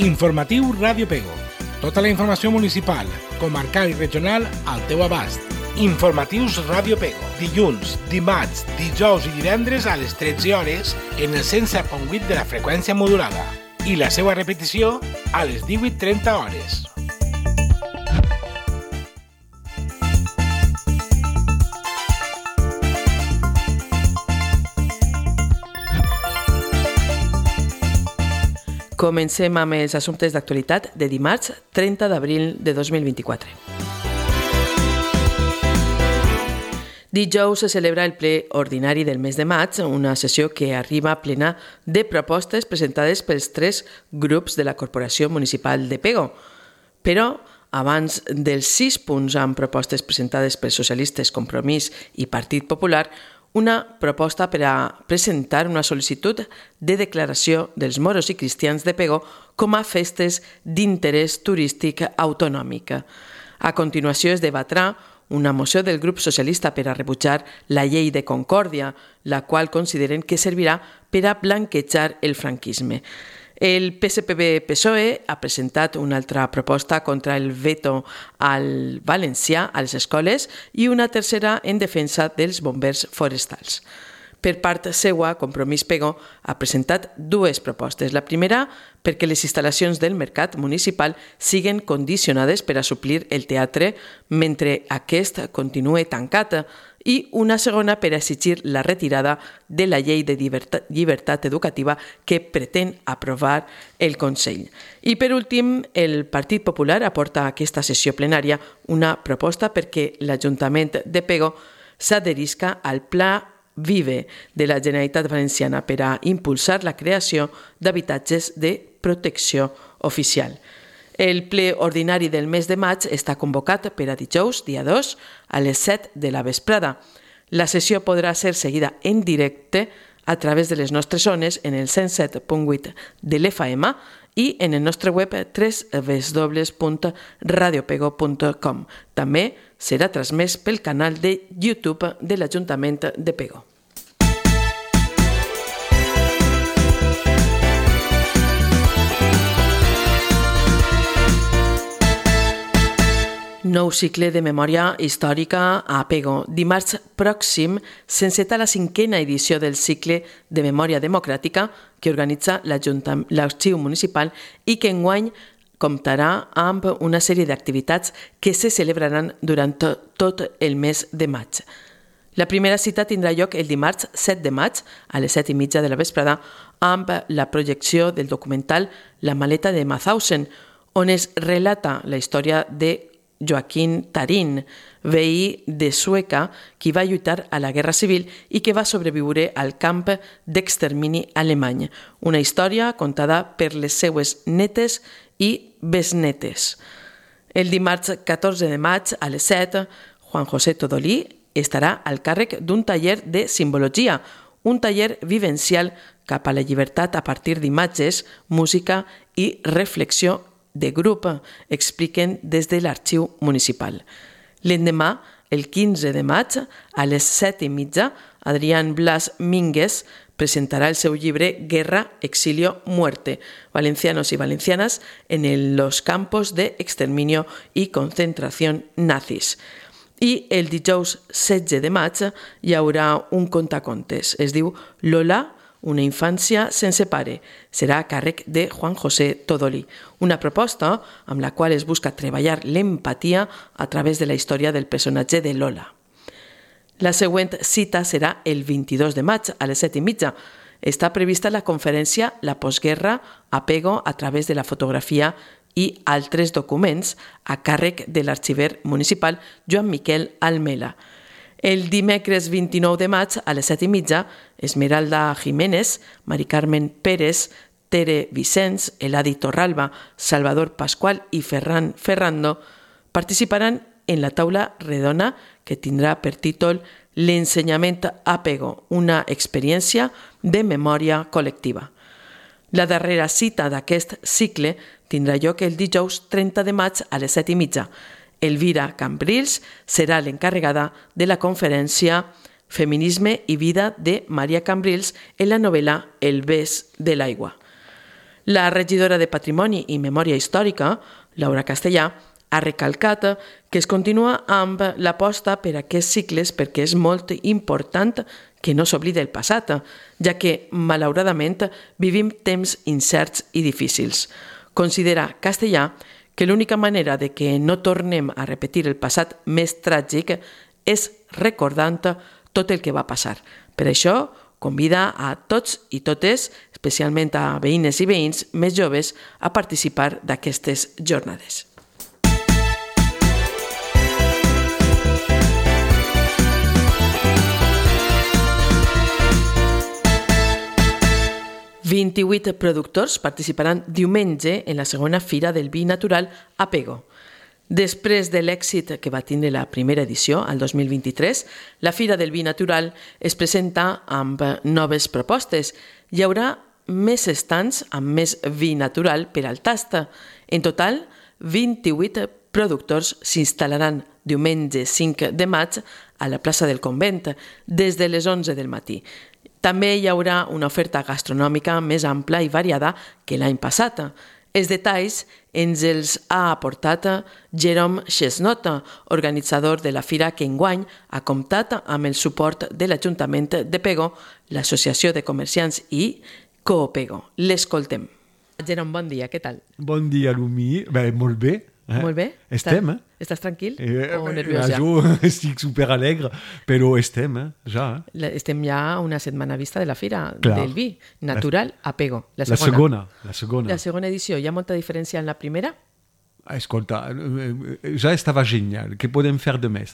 Informatiu Ràdio Pego. Tota la informació municipal, comarcal i regional al teu abast. Informatius Ràdio Pego. Dilluns, dimarts, dijous i divendres a les 13 hores en el 107.8 de la freqüència modulada. I la seva repetició a les 18:30 hores. Comencem amb els assumptes d'actualitat de dimarts 30 d'abril de 2024. Dijous se celebra el ple ordinari del mes de maig, una sessió que arriba plena de propostes presentades pels 3 grups de la Corporació Municipal de Pego. Però, abans dels 6 punts amb propostes presentades pels socialistes, Compromís i Partit Popular, una proposta per a presentar una sol·licitud de declaració dels moros i cristians de Pego com a festes d'interès turístic autonòmic. A continuació es debatrà una moció del grup socialista per a rebutjar la llei de Concòrdia, la qual consideren que servirà per a blanquejar el franquisme. El PSPB-PSOE ha presentat una altra proposta contra el veto al valencià a les escoles i una tercera en defensa dels bombers forestals. Per part seua, Compromís Pego ha presentat 2 propostes. La primera, perquè les instal·lacions del mercat municipal siguen condicionades per a suplir el teatre mentre aquest continue tancat, i una segona per a exigir la retirada de la llei de llibertat educativa que pretén aprovar el Consell. I per últim, el Partit Popular aporta a aquesta sessió plenària una proposta perquè l'Ajuntament de Pego s'adherisca al Pla Vive de la Generalitat Valenciana per a impulsar la creació d'habitatges de protecció oficial. El ple ordinari del mes de maig està convocat per a dijous, dia 2, a les 7 de la vesprada. La sessió podrà ser seguida en directe a través de les nostres zones en el 107.8 de l'FM i en el nostre web www.radiopego.com. També serà transmès pel canal de YouTube de l'Ajuntament de Pego. Nou cicle de memòria històrica a Pego. Dimarts pròxim s'enceta la 5a edició del cicle de memòria democràtica que organitza l'Arxiu Municipal i que enguany comptarà amb una sèrie d'activitats que se celebraran durant tot el mes de maig. La primera cita tindrà lloc el dimarts 7 de maig a les 7:30 de la vesprada amb la projecció del documental La maleta de Mauthausen, on es relata la història de Joaquín Tarín, veí de Sueca, qui va lluitar a la Guerra Civil i que va sobreviure al camp d'extermini alemany. Una història contada per les seues netes i besnetes. El dimarts 14 de maig a les 7, Juan José Todolí estarà al càrrec d'un taller de simbologia, un taller vivencial cap a la llibertat a partir d'imatges, música i reflexió de grup, expliquen des de l'Arxiu Municipal. L'endemà, el 15 de maig, a les 7:30, Adrián Blas Mínguez presentarà el seu llibre Guerra, Exilio, Muerte, valencianos y valencianas en los campos de exterminio y concentración nazis. I el dijous 16 de maig hi haurà un contacontes. Es diu Lola, una infància sense pare. Serà a càrrec de Juan José Todolí. Una proposta amb la qual es busca treballar l'empatia a través de la història del personatge de Lola. La següent cita serà el 22 de maig a les 7:30. Està prevista la conferència La postguerra a Pego a través de la fotografia i altres documents a càrrec de l'arxiver municipal Joan Miquel Almela. El dimecres 29 de maig a les 7:30, Esmeralda Jiménez, Mari Carmen Pérez, Tere Vicens, Eladi Torralba, Salvador Pascual i Ferran Ferrando participaran en la taula redona que tindrà per títol L'ensenyament a Pego, una experiència de memòria col·lectiva. La darrera cita d'aquest cicle tindrà lloc el dijous 30 de maig a les 7:30. Elvira Cambrils serà l'encarregada de la conferència Feminisme i vida de Maria Cambrils en la novel·la El bes de l'aigua. La regidora de Patrimoni i Memòria Històrica, Laura Castellà, ha recalcat que es continua amb l'aposta per aquests cicles perquè és molt important que no s'oblidi el passat, ja que, malauradament, vivim temps incerts i difícils. Considera Castellà que l'única manera de que no tornem a repetir el passat més tràgic és recordant tot el que va passar. Per això, convida a tots i totes, especialment a veïnes i veïns més joves, a participar d'aquestes jornades. «28 productors participaran diumenge en la segona Fira del Vi Natural a Pego. Després de l'èxit que va tindre la primera edició, al 2023, la Fira del Vi Natural es presenta amb noves propostes. Hi haurà més estants amb més vi natural per al tast. En total, 28 productors s'instal·laran diumenge 5 de maig a la plaça del Convent, des de les 11 del matí. També hi haurà una oferta gastronòmica més ampla i variada que l'any passat. Els detalls ens els ha aportat Jerome Chesnot, organitzador de la fira que enguany ha comptat amb el suport de l'Ajuntament de Pego, l'Associació de Comerciants i Coopego. L'escoltem. Jerome, bon dia, què tal? Bon dia, Lumi. Molt bé. Molt bé? Estem, Estàs tranquil o nerviós ja? Jo estic superalegre, però estem, ja. Estem ja a una setmana vista de la Fira del Vi Natural a Pego. La segona. La segona edició. Hi ha molta diferència en la primera? Escolta, ja estava genial. Què podem fer de més?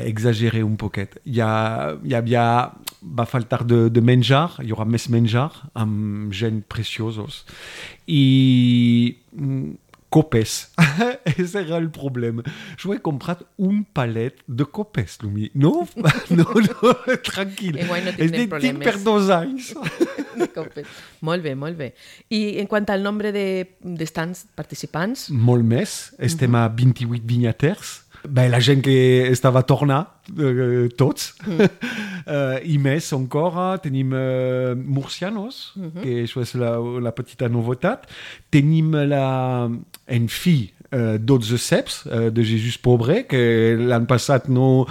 Exageré un poquet. Va faltar de menjar, hi haurà més menjar amb gent preciosos. I copes. Ese era el problema. Jo he comprat un palet de copes, Lumi. No, tranquil. Enguany no tindrem problemes. Tinc per 2 anys. De copes. Molt bé. I en quant al nombre d'estants participants? Molt més. Estem a 28 vinyaters. La gent que estava tornant, tots. I més encara, tenim murcianos, que això és la petita novetat. Tenim en fi 12 ceps de Jesús Pobre, que l'any passat no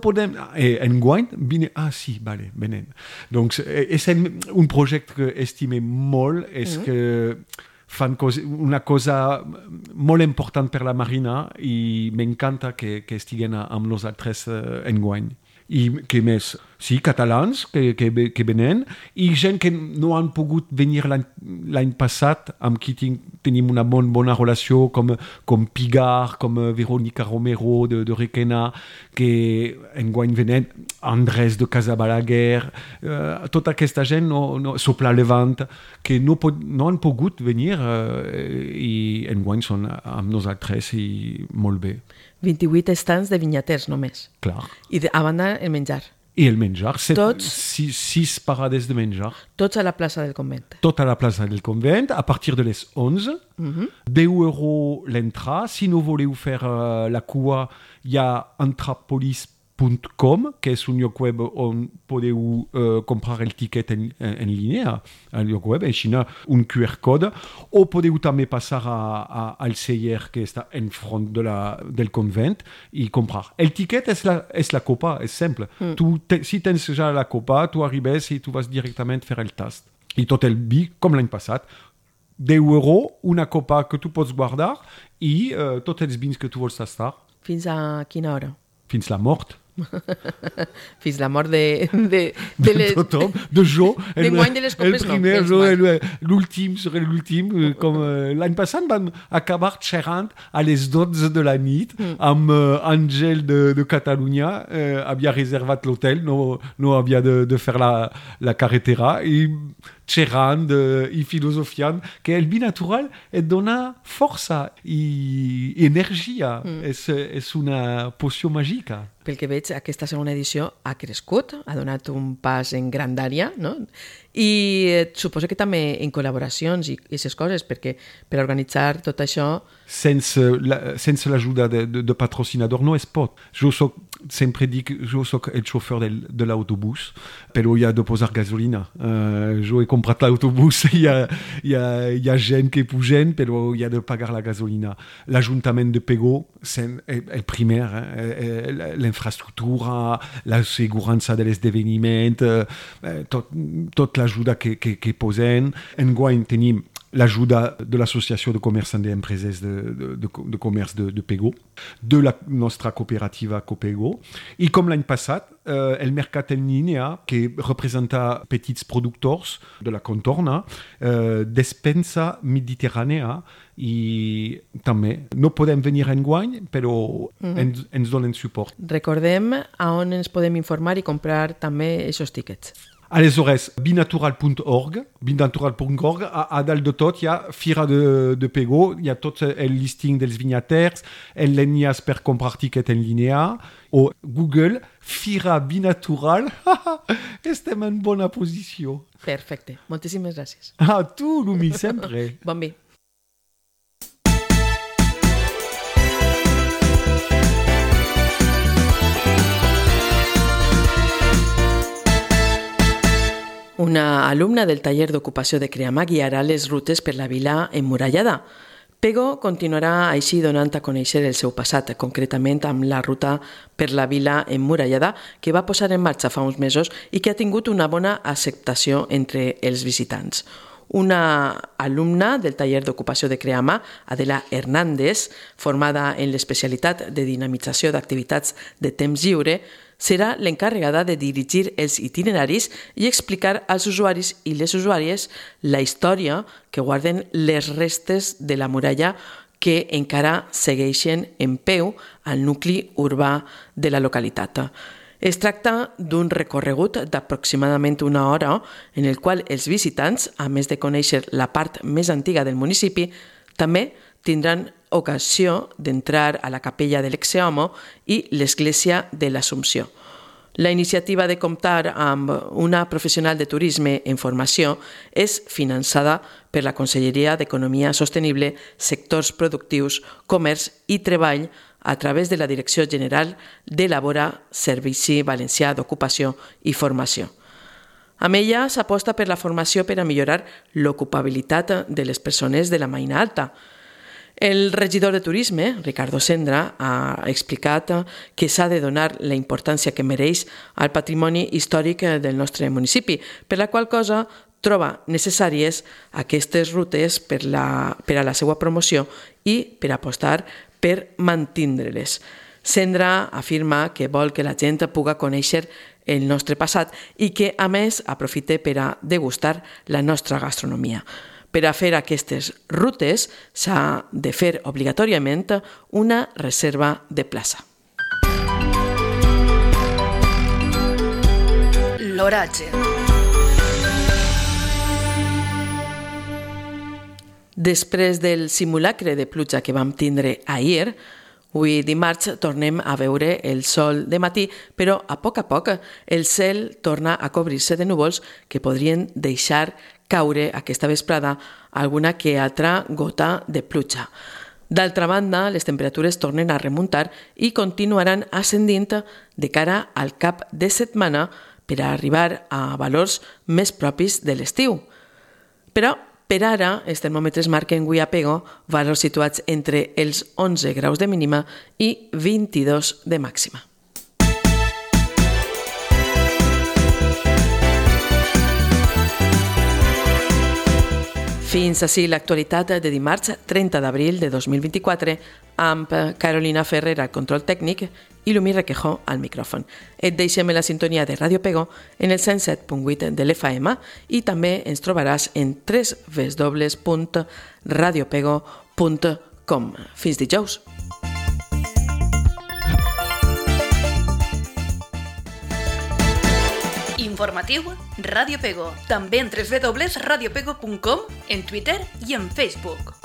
podem... Enguany, venem. Donc, és un projecte que estimem molt, és que fan una cosa molt important per la Marina i m'encanta que estiguen amb nosaltres enguany. I què més? Sí, catalans que venen i gent que no han pogut venir l'any passat, amb qui tenim una bona relació, com Pigar, com Verónica Romero de Requena, que enguany venen, Andrés de Casabalaguer, tota aquesta gent, Sopla Levant, que no han pogut venir i enguany són amb nosaltres i molt bé. 28 estants de vinyaters només. Clar. I a banda el menjar. I el menjar, 6 parades de menjar. Tots a la plaça del Convent. Tot a la plaça del Convent, a partir de les 11. 10 € l'entrada. Si no voleu fer la cua, hi ha Antrapolis.com, que és un lloc web on podeu comprar el tiquet en línia, al lloc web, així un QR code, o podeu també passar al celler que està en front del convent i comprar. El tiquet és la copa, és simple. Si tens ja la copa, tu arribes i tu vas directament fer el tast. I tot el vi, com l'any passat, 10 €, una copa que tu pots guardar i tots els vins que tu vols tastar. Fins a quina hora? Fins la mort. Fins la mort de tothom, de jo. D'enguany de les copes no. L'últim serà l'últim. Com l'any passat vam acabar xerrant a les 12 de la nit amb Àngel de Catalunya. Havia reservat l'hotel, no havia de fer la carretera i xerrant i filosofiant que el vi natural et dona força i energia. És una poció màgica. Pel que veig, aquesta segona edició ha crescut, ha donat un pas en grandària, no? I suposo que també en col·laboracions i aquestes coses, perquè per organitzar tot això... Sense l'ajuda de patrocinador no es pot. Jo sempre dic que jo soc el xofer de l'autobús, però hi ha de posar gasolina. Jo he comprat l'autobús, hi ha gent que pugen, però hi ha de pagar la gasolina. L'Ajuntament de Pego és el primer, l'infraestructura, la segurança de l'esdeveniment, tot l'ajuda que posen. Enguany tenim l'ajuda de l'Associació de Comerçants d'Empreses de Comerç de Pego, de la nostra cooperativa Copego, i com l'any passat, el mercat en línia, que representa petits productors de la contorna, despensa mediterrània, i també no podem venir enguany, però ens donen suport. Recordem a on ens podem informar i comprar també aquests tíquets. Aleshores, binatural.org, a dalt de tot hi ha Fira de Pego, hi ha tot el listing dels vinyaters, l'enllaç per comprar tiquet en línia, o Google, Fira Binatural, estem en bona posició. Perfecte, moltíssimes gràcies. A tu, Lumi, sempre. Bon vi. Una alumna del taller d'ocupació de Creamà guiarà les rutes per la vila emmurallada. Pego continuarà així donant a conèixer el seu passat, concretament amb la ruta per la vila emmurallada que va posar en marxa fa uns mesos i que ha tingut una bona acceptació entre els visitants. Una alumna del taller d'ocupació de Creamà, Adela Hernández, formada en l'especialitat de dinamització d'activitats de temps lliure, serà l'encarregada de dirigir els itineraris i explicar als usuaris i les usuàries la història que guarden les restes de la muralla que encara segueixen en peu al nucli urbà de la localitat. Es tracta d'un recorregut d'aproximadament una hora en el qual els visitants, a més de conèixer la part més antiga del municipi, també tindran ocasió d'entrar a la capella de l'Exeomo i l'església de l'Assumpció. La iniciativa de comptar amb una professional de turisme en formació és finançada per la Conselleria d'Economia Sostenible, Sectors Productius, Comerç i Treball a través de la Direcció General d'Elabora Servici Valencià d'Ocupació i Formació. Amb ella s'aposta per la formació per a millorar l'ocupabilitat de les persones de la Maina Alta. El regidor de Turisme, Ricardo Sendra, ha explicat que s'ha de donar la importància que mereix al patrimoni històric del nostre municipi, per la qual cosa troba necessàries aquestes rutes per a la seva promoció i per apostar per mantindre-les. Sendra afirma que vol que la gent pugui conèixer el nostre passat i que, a més, aprofite per a degustar la nostra gastronomia. Per a fer aquestes rutes s'ha de fer obligatòriament una reserva de plaça. L'oratge. Després del simulacre de pluja que vam tindre ahir, avui dimarts tornem a veure el sol de matí, però a poc el cel torna a cobrir-se de núvols que podrien deixar caure aquesta vesprada alguna que altra gota de pluja. D'altra banda, les temperatures tornen a remuntar i continuaran ascendint de cara al cap de setmana per a arribar a valors més propis de l'estiu. Però per ara, els termòmetres marquen avui a Pego valors situats entre els 11 graus de mínima i 22 de màxima. Fins ací l'actualitat de dimarts 30 d'abril de 2024 amb Carolina Ferrer al control tècnic i Lumi Requejo al micròfon. Et deixem en la sintonia de Ràdio Pego en el 107.8 de l'FM i també ens trobaràs en www.radiopego.com. Fins dijous! Informatiu Ràdio Pego. També en www.radiopego.com, en Twitter i en Facebook.